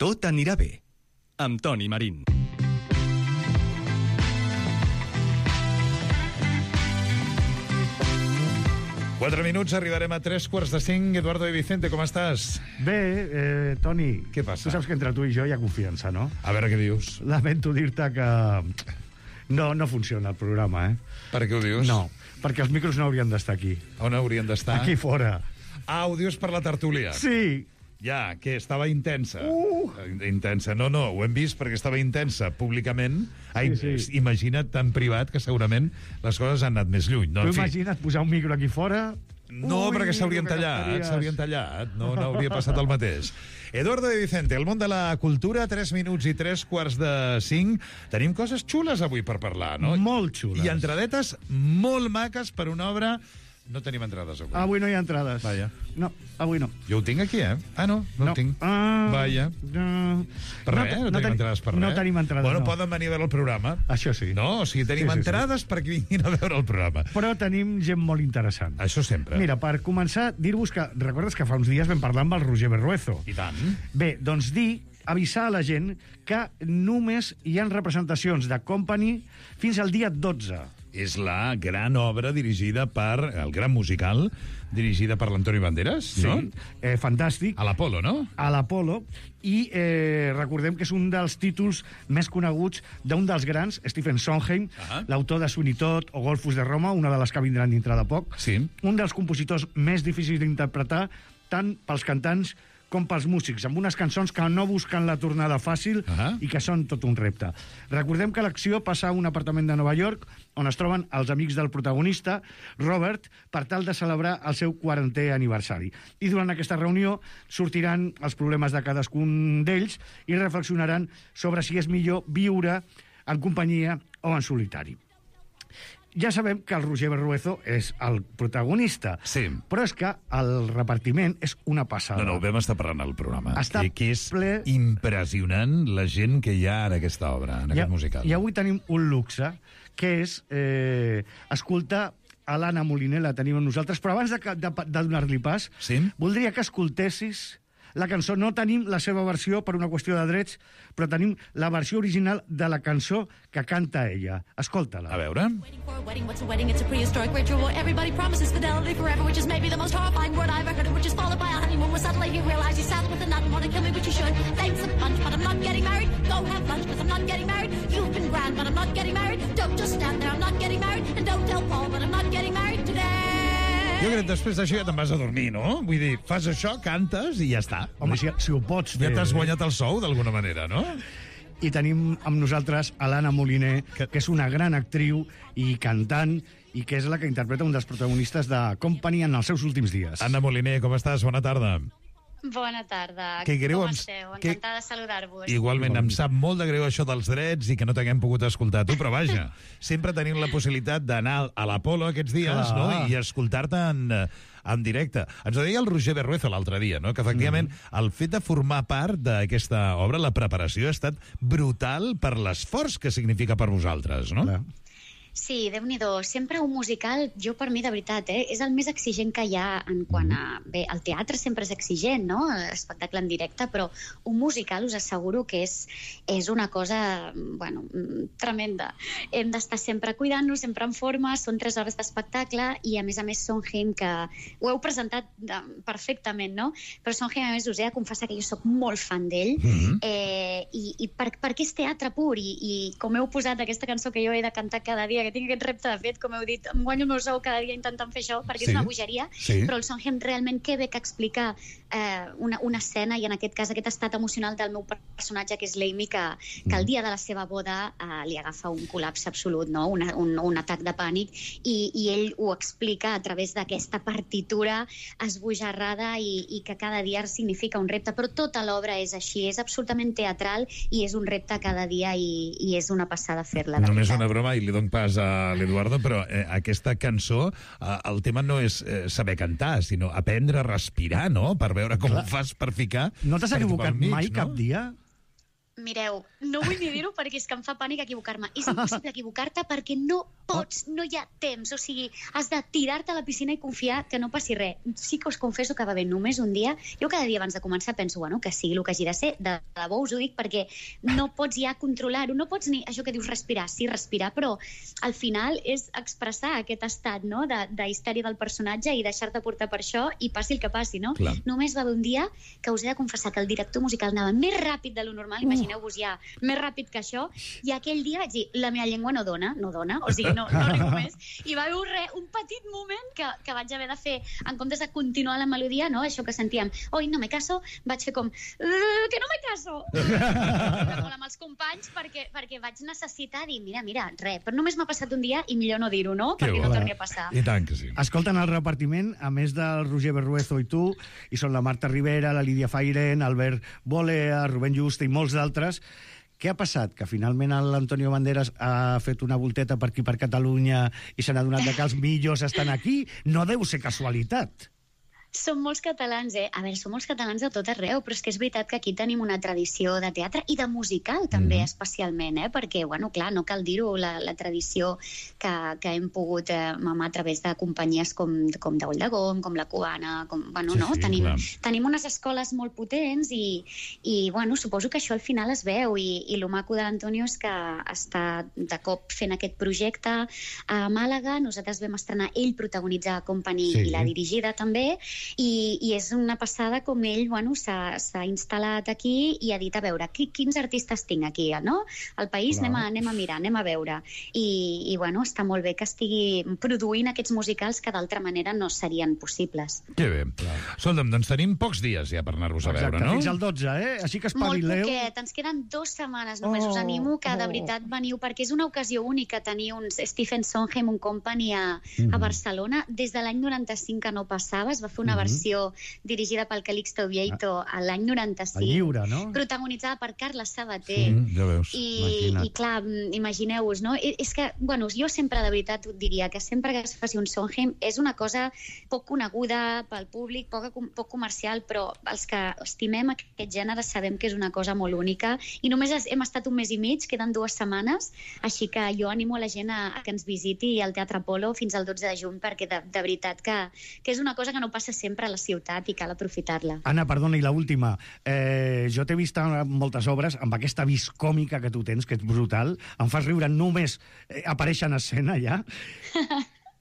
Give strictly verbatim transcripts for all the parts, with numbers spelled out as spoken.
Tot anirà bé, amb Toni Marín. Quatre minuts, arribarem a tres quarts de cinc. Eduardo de Vicente, com estàs? Bé, eh, Toni. Què passa? Tu saps que entre tu i jo hi ha confiança, no? A veure què dius. Lamento dir-te que no, no funciona el programa, eh? Per què ho dius? No, perquè els micros no haurien d'estar aquí. On haurien d'estar? Aquí fora. Ah, ho dius per la tertúlia? Sí. Ja, que estava intensa. Uh. Intensa. No, no, ho hem vist perquè estava intensa públicament. Ai, Sí, sí. Imagina't tan privat que segurament les coses han anat més lluny. No, Tu en fi. imagina't posar un micro aquí fora... No, Ui, perquè s'haurien que tallat, gastaries. s'haurien tallat. No, no hauria passat el mateix. Eduardo de Vicente, el món de la cultura, tres minuts i tres quarts de cinc. Tenim coses xules avui per parlar, no? Molt xules. I entradetes molt maques per una obra... No tenim entrades avui. Avui no hi ha entrades. Vaja. No, avui no. Jo ho tinc aquí, eh? Ah, no, no, No. ho tinc. Ah, Vaja. No. Per res, no, no tenim ten- entrades per res. No tenim entrades, Bueno, no. poden venir a veure el programa. Això sí. No, o sigui, tenim Sí, sí, sí. entrades perquè vinguin a veure el programa. Però tenim gent molt interessant. Això sempre. Mira, per començar, dir-vos que... Recordes que fa uns dies vam parlar amb el Roger Berruezo? I tant. Bé, doncs dir, avisar a la gent que només hi ha representacions de Company fins al dia dotze. És la gran obra dirigida per... El gran musical dirigida per l'Antoni Banderas, Sí, no? eh, fantàstic. A l'Apolo, no? A l'Apolo, i eh, recordem que és un dels títols més coneguts d'un dels grans, Stephen Sondheim, Ah. l'autor de Sweeney Todd o Golfus de Roma, una de les que vindran dintre de poc. Sí. Un dels compositors més difícils d'interpretar, tant pels cantants com pels músics, amb unes cançons que no busquen la tornada fàcil Ah. i que són tot un repte. Recordem que l'acció passa a un apartament de Nova York on es troben els amics del protagonista, Robert, per tal de celebrar el seu quarantè aniversari. I durant aquesta reunió sortiran els problemes de cadascun d'ells i reflexionaran sobre si és millor viure en companyia o en solitari. Ja sabem que el Roger Berruezo és el protagonista, Sí. però és que el repartiment és una passada. No, no, ho vam estar parlant al programa. Està que, que és ple- impressionant la gent que hi ha en aquesta obra, en I, aquest musical. I avui tenim un luxe, que és eh, escoltar a l'Anna Moliner, la tenim amb nosaltres, però abans de, que- de, de donar-li pas, Sí? voldria que escoltessis la cançó. No tenim la seva versió per una qüestió de drets, però tenim la versió original de la cançó que canta ella. Escolta-la. A veure... Waiting for a wedding, what's a wedding? It's a prehistoric ritual where everybody promises fidelity forever, which is maybe the most horrifying word I've ever heard, which is followed by a honeymoon where suddenly you realize you sat with a nut and want to kill me, but you should. Thanks a bunch, but I'm not getting married. Go have lunch, because I'm not getting married. You've been grand, but I'm not getting married. Don't just stand there, I'm not getting married. And don't tell Paul, but I'm not getting married today. Jo crec que després d'això ja te'n vas a dormir, no? Vull dir, fas això, cantes i ja està. Home, si, si ho pots Ja fer... t'has guanyat el sou, d'alguna manera, no? I tenim amb nosaltres a l'Anna Moliner, que, que és una gran actriu i cantant, i que és la que interpreta un dels protagonistes de Company en els seus últims dies. Anna Moliner, com estàs? Bona tarda. Bona tarda. Que greu, Com em- esteu? que- Encantada de saludar-vos. Igualment, em sap molt de greu això dels drets i que no t'haguem pogut escoltar tu, però vaja, sempre tenim la possibilitat d'anar a l'Apolo aquests dies, Clar. no?, i escoltar-te en, eh, en directe. Ens ho deia el Roger Berruezo l'altre dia, no?, que efectivament Mm. el fet de formar part d'aquesta obra, la preparació, ha estat brutal per l'esforç que significa per vosaltres, no? Clar. Sí, Déu-n'hi-do. Sempre un musical, jo per mi, de veritat, eh, és el més exigent que hi ha en quant a... Bé, el teatre sempre és exigent, no?, l'espectacle en directe, però un musical us asseguro que és, és una cosa, bueno, tremenda. Hem d'estar sempre cuidant-nos, sempre en forma, són tres hores d'espectacle i, a més a més, Sondheim, que ho heu presentat de, perfectament, no?, però Sondheim, a més, us he de confessar que jo sóc molt fan d'ell, Mhm. eh, i, i per, perquè és teatre pur, i, i com heu posat aquesta cançó que jo he de cantar cada dia, que tinc aquest repte, de fet, com heu dit, em guanyo el meu sou cada dia intentant fer això, perquè Sí. és una bogeria, Sí. però el Sondheim realment que bé que explica eh, una, una escena, i en aquest cas aquest estat emocional del meu personatge, que és l'Amy, que, que el dia de la seva boda eh, li agafa un col·lapse absolut, no? un, un, un atac de pànic, i, i ell ho explica a través d'aquesta partitura esbojarrada i, i que cada dia significa un repte, però tota l'obra és així, és absolutament teatral i és un repte cada dia, i, i és una passada fer-la. de Només veritat. una broma, i li dono pas a l'Eduardo, però eh, aquesta cançó, eh, el tema no és eh, saber cantar, sinó aprendre a respirar, no?, per veure com Clar. ho fas per ficar... No t'has per equivocat pel mig, mai no? cap dia? Mireu, no vull ni dir-ho perquè és que em fa pànic equivocar-me. És impossible equivocar-te perquè no pots, no hi ha temps. O sigui, has de tirar-te a la piscina i confiar que no passi res. Sí que us confesso que va bé només un dia. Jo cada dia abans de començar penso, bueno, que sigui el que hagi de ser. De debò us ho dic perquè no pots ja controlar-ho. No pots ni, això que dius respirar, sí, respirar, però al final és expressar aquest estat, no?, de, de histèria del personatge i deixar-te portar per això i passi el que passi, no? Clar. Només va haver un dia que us he de confessar que el director musical anava més ràpid de lo normal, imagineu-vos ja, més ràpid que això, i aquell dia vaig dir, la meva llengua no dona, no dona, o sigui, no, no arribo més, i va haver un, re, un petit moment que, que vaig haver de fer, en comptes de continuar la melodia, no?, això que sentíem, oi, no me caso, vaig fer com, uh, que no me caso! molt amb els companys, perquè, perquè vaig necessitar dir, mira, mira, res, però només m'ha passat un dia i millor no dir-ho, no?, Que perquè bo. no torni a passar. I tant que sí. Escolten el repartiment, a més del Roger Berruezo i tu, i són la Marta Rivera, la Lídia Fairen, Albert Bolea, Rubén Juste i molts d'altres. Què ha passat? Que finalment l'Antonio Banderas ha fet una volteta per aquí per Catalunya i se n'ha donat de que els millors estan aquí? No deu ser casualitat. Som molts catalans, eh? A veure, som molts catalans de tot arreu, però és que és veritat que aquí tenim una tradició de teatre i de musical, també, mm-hmm. especialment, eh? Perquè, bueno, clar, no cal dir-ho, la, la tradició que, que hem pogut eh, mamar a través de companyies com, com de Ull de Gom, com la Cubana, com, bueno, sí, no? Sí, tenim, clar. tenim unes escoles molt potents i, i, bueno, suposo que això al final es veu i, i lo maco de l'Antonio és que està de cop fent aquest projecte a Màlaga, nosaltres vam estrenar ell protagonitzar Company Sí. i la dirigida també, I, i és una passada com ell, bueno, s'ha instal·lat aquí i ha dit, a veure, qui, quins artistes tinc aquí, no? Al país anem a, anem a mirar, anem a veure. I, i bueno, està molt bé que estigui produint aquests musicals que d'altra manera no serien possibles. Que bé. Escolta'm, doncs tenim pocs dies ja per anar-vos a veure, Exacte, no? fins al dotze, eh? Així que Molt espavileu. poquet, ens queden dues setmanes només. Oh, Us animo que de oh. veritat veniu, perquè és una ocasió única tenir uns Stephen Sondheim, un company a, a Barcelona. Des de l'any noranta-cinc que no passava, es va fer una versió dirigida pel Calixto Vieito a l'any noranta-cinc. El lliure, no? Protagonitzada per Carles Sabater. Mm, ja veus. I, Imagina't. i clar, imagineu-vos, no? I- És que, bueno, jo sempre de veritat et diria que sempre que es faci un Sondheim és una cosa poc coneguda pel públic, poc, poc comercial, però els que estimem aquest gènere sabem que és una cosa molt única i només es- hem estat un mes i mig, queden dues setmanes, així que jo animo a la gent a, a que ens visiti al Teatre Apolo fins al dotze de juny, perquè de, de veritat que, que és una cosa que no passa sempre a la ciutat i cal aprofitar-la. Anna, perdona, i l'última. Eh, jo t'he vist en moltes obres amb aquesta vis còmica que tu tens, que és brutal. Em fas riure només eh, aparèixer en escena, ja.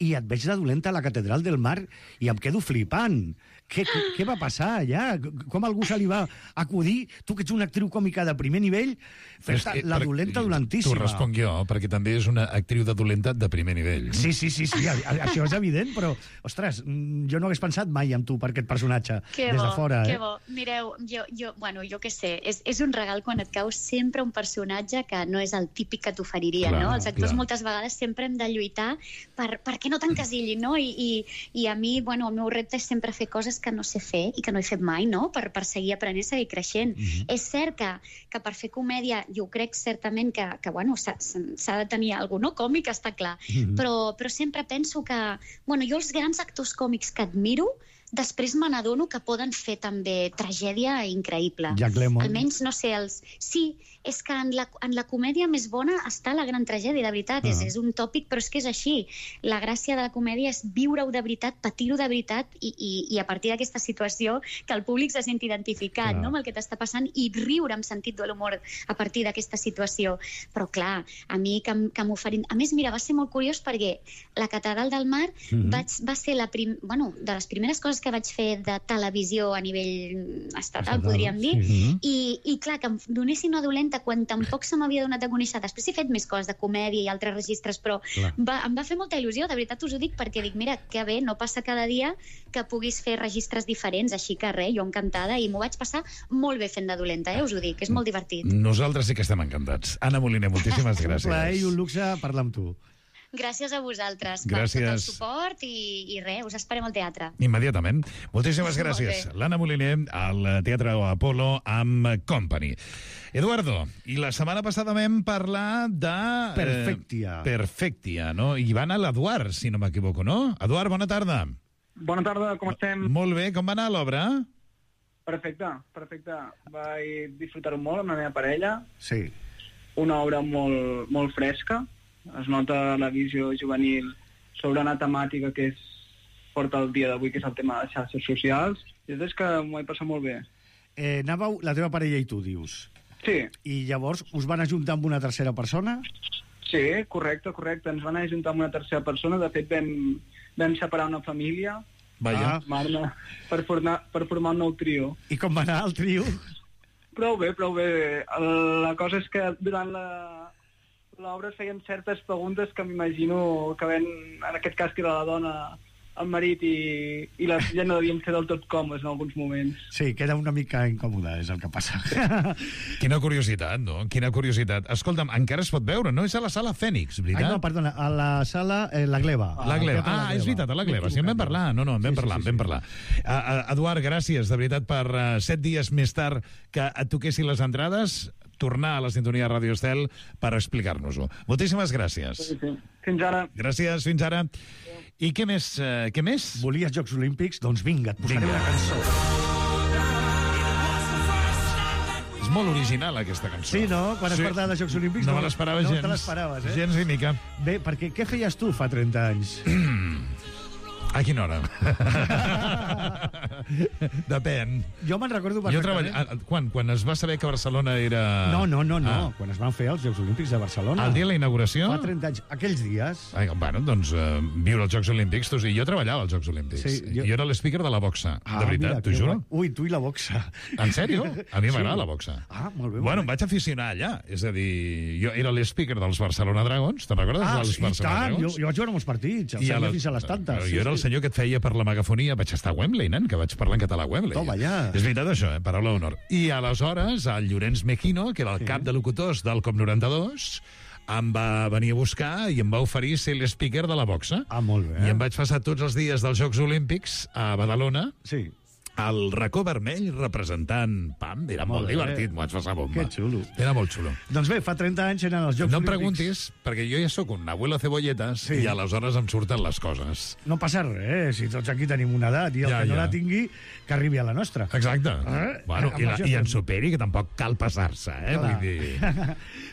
I et veig de dolenta a la Catedral del Mar i em quedo flipant. Què, què va passar allà? Com algú se li va acudir, tu que ets una actriu còmica de primer nivell, fer-te És que- la per- dolenta T'ho dolentíssima? responc jo, perquè també és una actriu de dolenta de primer nivell. Sí, sí, sí, sí, a- a- això és evident, però, ostres, mm, jo no hagués pensat mai en tu per aquest personatge, Que des bo, de fora, que eh? bo. Mireu, jo, jo, bueno, jo què sé, és, és un regal quan et cau sempre un personatge que no és el típic que t'oferiria, Clar, no? Els actors clar. moltes vegades sempre hem de lluitar per, perquè no t'encasillin, no? I, i, I a mi, bueno, el meu repte és sempre fer coses que no sé fer i que no he fet mai, no? Per, per seguir aprenent, seguir creixent. Mm-hmm. És cert que, que per fer comèdia, jo crec certament que, que bueno, s'ha s'ha de tenir alguna no? còmic, està clar, mm-hmm. però, però sempre penso que, bueno, jo els grans actors còmics que admiro, després me n'adono que poden fer també tragèdia increïble. Jack Lemmon. Almenys, no sé, els... Sí, és que en la, en la comèdia més bona està la gran tragèdia, de veritat. Uh -huh. és, és un tòpic, però és que és així. La gràcia de la comèdia és viure-ho de veritat, patir-ho de veritat i, i, i a partir d'aquesta situació que el públic se senti identificat, no?, amb el que t'està passant i riure amb sentit de l'humor a partir d'aquesta situació. Però, clar, a mi que, que m'oferin... A més, mira, va ser molt curiós perquè la Catedral del Mar uh -huh. vaig, va ser la prim... bueno, de les primeres coses que vaig fer de televisió a nivell estatal, Estatal, podríem dir, sí. I, i clar, que em donessin una dolenta quan tampoc se m'havia donat a conèixer. Després he fet més coses de comèdia i altres registres, però va, em va fer molta il·lusió, de veritat us ho dic, perquè dic, mira, que bé, no passa cada dia que puguis fer registres diferents, així que res, jo encantada, i m'ho vaig passar molt bé fent de dolenta, eh, us ho dic, és molt divertit. Nosaltres sí que estem encantats. Anna Moliner, moltíssimes gràcies. Un plaer i un luxe parlar amb tu. Gràcies a vosaltres Gràcies. per tot el suport i, i res, us esperem al teatre. Immediatament. Moltíssimes Molt gràcies. bé. L'Anna Moliner al Teatre Apolo amb Company. Eduardo, i la setmana passada vam parlar de... Perfectia. Eh, Perfectia, no? I va anar l'Eduard, si no m'equivoco, no? Eduard, bona tarda. Bona tarda, com estem? Molt bé, com va anar l'obra? Perfecte, perfecte. Vaig disfrutar-ho molt amb la meva parella. Sí. Una obra molt, molt fresca. Es nota la visió juvenil sobre una temàtica que és porta el dia d'avui, que és el tema de les xarxes socials. I és que m'ho he passat molt bé. Eh, anàveu, la teva parella i tu, dius. Sí. I llavors us van ajuntar amb una tercera persona? Sí, correcte, correcte. Ens van ajuntar amb una tercera persona. De fet, vam, vam separar una família. Vaja. Ah. Per, formar, per formar un nou trio. I com va anar el trio? Prou bé, prou bé. La cosa és que durant la l'obra es feien certes preguntes que m'imagino que ven, en aquest cas que era la dona, el marit i, i la filla no devien ser del tot còmodes en alguns moments. Sí, queda una mica incòmoda, és el que passa. Quina curiositat, no? Quina curiositat. Escolta'm, encara es pot veure, no? És a la sala Fènix, veritat? Ai, no, perdona, a la sala eh, La Gleva. La Gleva. Ah, és veritat, a la Gleva. Sí, en vam parlar. No, no, en vam Sí, sí, parlar, sí, en vam sí. parlar. Uh, uh, Eduard, gràcies, de veritat, per uh, set dies més tard que et toquessin les entrades, tornar a la sintonia de Ràdio Estel per explicar-nos-ho. Moltíssimes gràcies. Sí, sí. Fins ara. Gràcies, fins ara. I què més? Uh, què més? Volies Jocs Olímpics? Doncs vinga, et posaré Vinga. una cançó. És molt original, aquesta cançó. Sí, no? Quan es parla de Jocs Olímpics... No me l'esperava gens. No te l'esperaves, eh? Gens ni mica. Bé, perquè què feies tu fa trenta anys? A quina hora? Depèn. Jo me'n recordo Jo perfectament. treball... Quan? Quan es va saber que Barcelona era... No, no, no, no. Ah. Quan es van fer els Jocs Olímpics de Barcelona. El dia de la inauguració? Fa trenta anys. Aquells dies... Ai, bueno, doncs uh, viure els Jocs Olímpics. Tu, sí, jo treballava als Jocs Olímpics. Sí, jo... jo- jo era l'speaker de la boxa, Ah, de veritat, mira, t'ho que juro. guai. Ui, tu i la boxa. En sèrio? A mi m'agrada Sí. la boxa. Ah, molt bé. Bueno, molt em vaig aficionar allà. És a dir, jo era l'speaker dels Barcelona Dragons. Te'n recordes Ah, dels sí, Barcelona tant. Jo, Dragons? jo vaig veure molts partits. El I a senyor la- fins a les tantes. Jo era el senyor que et feia per la megafonia. Vaig estar a Wembley, nen, que vaig parlar en català a Wembley. Toma, ja. És veritat això, eh? Paraula d'honor. I aleshores, el Llorenç Mejino, que era el cap de locutors del COP noranta-dos, em va venir a buscar i em va oferir ser l'speaker de la boxa. Ah, molt bé. I em vaig passar tots els dies dels Jocs Olímpics a Badalona, Sí. al racó vermell, representant Pam. Era molt, Molt bé. divertit, m'ho vaig passar bomba. Que xulo. Era molt xulo. Doncs bé, fa trenta anys eren els Jocs No em Olímpics. preguntis, perquè jo ja sóc un abuelo cebolletas Sí. i aleshores em surten les coses. No passa res, si tots aquí tenim una edat i el Ja, que no ja. la tingui, que arribi a la nostra. Exacte. Eh? Bueno, i, la, Amb i això en tot. superi, que tampoc cal passar-se, eh? Clar. Vull dir...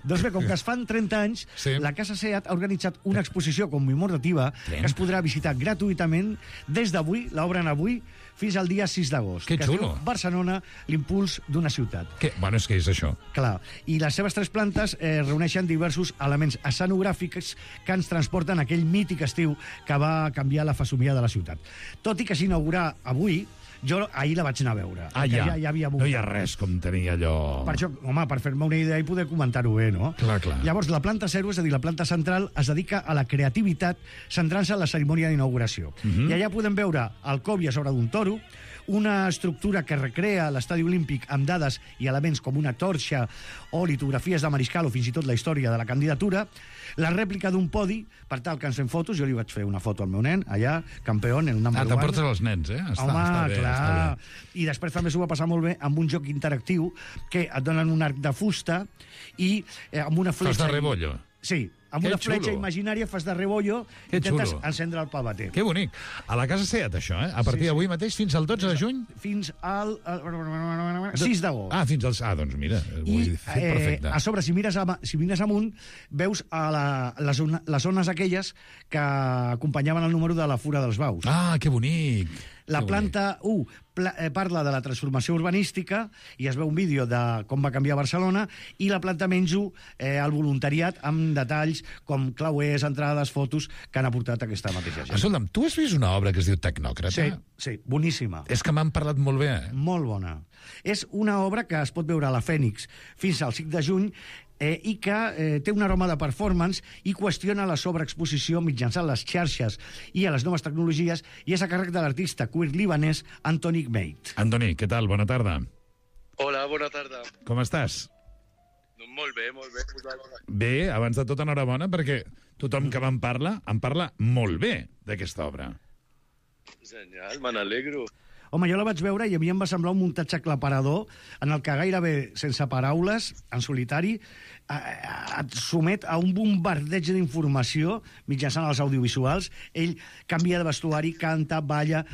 Doncs bé, com que es fan trenta anys, Sí. la Casa SEAT ha organitzat una exposició commemorativa Bien. que es podrà visitar gratuïtament des d'avui, l'obren avui, fins al dia sis d'agost. Que es diu xulo. Barcelona, l'impuls d'una ciutat. Que, bueno, és que és això. Clar, i les seves tres plantes eh, reuneixen diversos elements escenogràfics que ens transporten a aquell mític estiu que va canviar la fesomia de la ciutat. Tot i que s'inaugurà avui, jo ahir la vaig anar a veure. Ah, perquè ja. ja, ja havia No hi ha res com tenir allò... Per això, home, per fer-me una idea i poder comentar-ho bé, no? Clar, clar. Llavors, la planta zero, és a dir, la planta central, es dedica a la creativitat centrant-se en la cerimònia d'inauguració. Uh -huh. I allà podem veure el còbia sobre d'un toro, una estructura que recrea l'estadi olímpic amb dades i elements com una torxa o litografies de Mariscal o fins i tot la història de la candidatura, la rèplica d'un podi, per tal que ens fem fotos, jo li vaig fer una foto al meu nen, allà, campió, en el number Ah, one. t'emportes els nens, eh? Està, Home, està bé, clar. està bé. I després també s'ho va passar molt bé amb un joc interactiu que et donen un arc de fusta i eh, amb una fletxa... Fas de rebollo. Sí, amb Que una xulo. fletxa imaginària fas de rebollo i Que intentes xulo. encendre el pavater. Que bonic. A la Casa Seat, això, eh? A partir Sí, sí. d'avui mateix, fins al dotze de juny? Fins al eh, sis d'agost. Ah, fins als... Ah, doncs mira, ho I he fet eh, perfecte. a sobre, si mires, a, si mires amunt, veus a la, les, zona, les zones aquelles que acompanyaven el número de la Fura dels Baus. Ah, que bonic. La Que planta u pla, eh, parla de la transformació urbanística i es veu un vídeo de com va canviar Barcelona, i la planta menys u, eh, el voluntariat amb detalls com clauers, entrades, fotos que han aportat aquesta mateixa bonic. gent. Escolta'm, tu has vist una obra que es diu Tecnòcrata? Sí, sí, boníssima. És que m'han parlat molt bé, eh? Molt bona. És una obra que es pot veure a la Fènix fins al cinc de juny, eh, i que eh, té un aroma de performance i qüestiona la sobreexposició mitjançant les xarxes i a les noves tecnologies, i és a càrrec de l'artista queer libanès Antoni Gmeit. Antoni, què tal? Bona tarda. Hola, bona tarda. Com estàs? Doncs molt bé, molt bé. Vosaltres? Bé, abans de tot, enhorabona, perquè tothom que me'n parla, em parla molt bé d'aquesta obra. Genial, me n'alegro. Home, jo la vaig veure i a mi em va semblar un muntatge aclaparador en el que gairebé, sense paraules, en solitari, et somet a un bombardeig d'informació mitjançant els audiovisuals. Ell canvia de vestuari, canta, balla...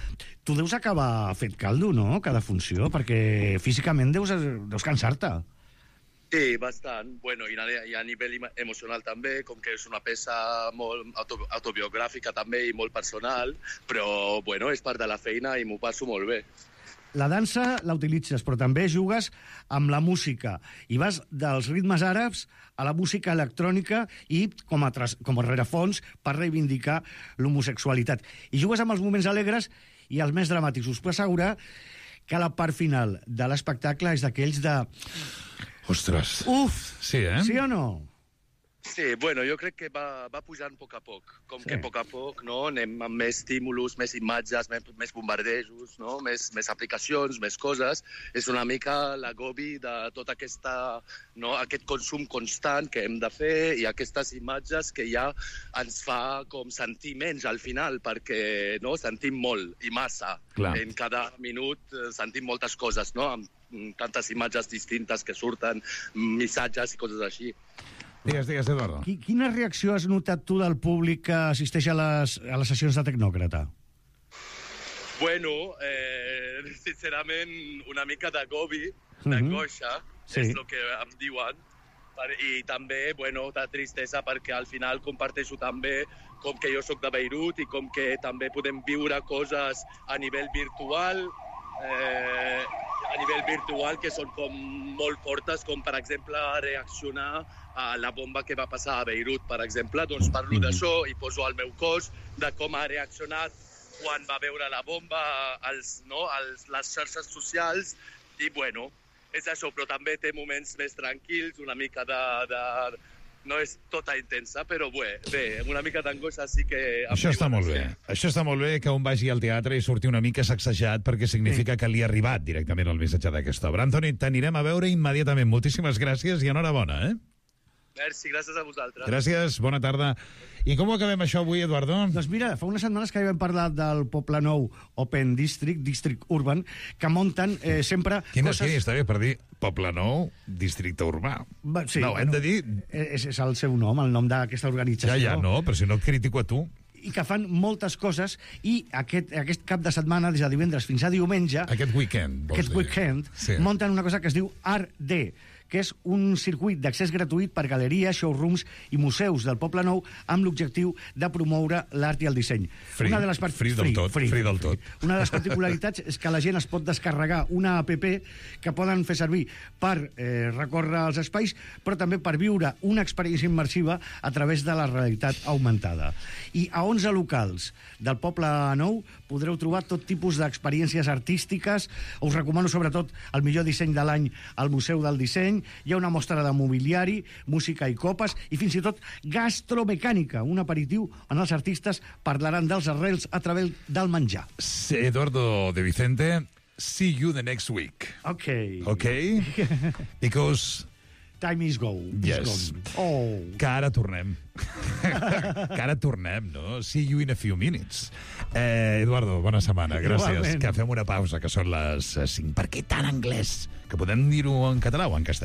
Tu deus acabar fet caldo, no?, cada funció, perquè físicament deus, deus cansar-te. Sí, bastant. Bueno, i a, i a nivell emocional també, com que és una peça molt auto, autobiogràfica també i molt personal, però, bueno, és part de la feina i m'ho passo molt bé. La dansa la utilitzes, però també jugues amb la música. I vas dels ritmes àrabs a la música electrònica i com a, tras, com a rerefons per reivindicar l'homosexualitat. I jugues amb els moments alegres i els més dramàtics. Us puc assegurar que la part final de l'espectacle és d'aquells de... Ostres. Uf! Sí, eh? Sí o no? Sí, bueno, jo crec que va, va pujant a poc a poc. Com sí. que a poc a poc, no?, anem amb més estímulos, més imatges, més, més bombardejos, no?, més, més aplicacions, més coses. És una mica l'agobi de tot aquesta, no?, aquest consum constant que hem de fer i aquestes imatges que ja ens fa com sentir menys al final, perquè, no?, sentim molt i massa. Clar. En cada minut sentim moltes coses, no?, amb tantes imatges distintes que surten, missatges i coses així. Digues, digues, Eduardo. Quina reacció has notat tu del públic que assisteix a les, a les sessions de Tecnòcrata? Bueno, eh, sincerament, una mica d'agobi, d'angoixa, uh -huh. sí. és el que em diuen. I també, bueno, de tristesa, perquè al final comparteixo també com que jo sóc de Beirut i com que també podem viure coses a nivell virtual, eh, a nivell virtual que són com molt fortes, com per exemple reaccionar a la bomba que va passar a Beirut, per exemple. Doncs parlo mm-hmm. d'això i poso al meu cos de com ha reaccionat quan va veure la bomba als, no, als, les xarxes socials i, bueno, és això, però també té moments més tranquils, una mica de... de no és tota intensa, però bé, bé una mica d'angoixa sí que... Això està molt bé. Sí. Això està molt bé que un vagi al teatre i surti una mica sacsejat perquè significa sí. que li ha arribat directament el missatge d'aquesta obra. Antoni, t'anirem a veure immediatament. Moltíssimes gràcies i enhorabona, eh? Merci, gràcies a vosaltres. Gràcies, bona tarda. I com ho acabem això avui, Eduardo? Doncs mira, fa unes setmanes que ja vam parlar del Poble Nou Open District, District Urban, que munten eh, sempre Quina, coses... Quina està bé per dir Poble Nou, Districte Urbà. Va, sí, no, hem bueno, de dir... És, és el seu nom, el nom d'aquesta organització. Ja, ja, no, però si no et critico a tu... I que fan moltes coses, i aquest, aquest cap de setmana, des de divendres fins a diumenge... Aquest weekend, vols Aquest dir. weekend, sí. munten una cosa que es diu Art D, que és un circuit d'accés gratuït per galeries, showrooms i museus del Poble Nou amb l'objectiu de promoure l'art i el disseny. Free, una de les part... free del free, tot. Free, free del tot. Free. Una de les particularitats és que la gent es pot descarregar una app que poden fer servir per eh, recórrer els espais, però també per viure una experiència immersiva a través de la realitat augmentada. I a onze locals del Poble Nou podreu trobar tot tipus d'experiències artístiques. Us recomano sobretot el millor disseny de l'any al Museu del Disseny. Hi ha una mostra de mobiliari, música i copes, i fins i tot gastromecànica, un aperitiu on els artistes parlaran dels arrels a través del menjar. Sí, Eduardo de Vicente, see you the next week. Okay. Okay? Because... Time is go. Yes. Oh. Que ara tornem. Que ara tornem, no? See you in a few minutes. Eh, Eduardo, bona setmana. Gràcies. Igualment. Que fem una pausa, que són les cinc. Per què tan anglès? Que podem dir-ho en català o en castellà?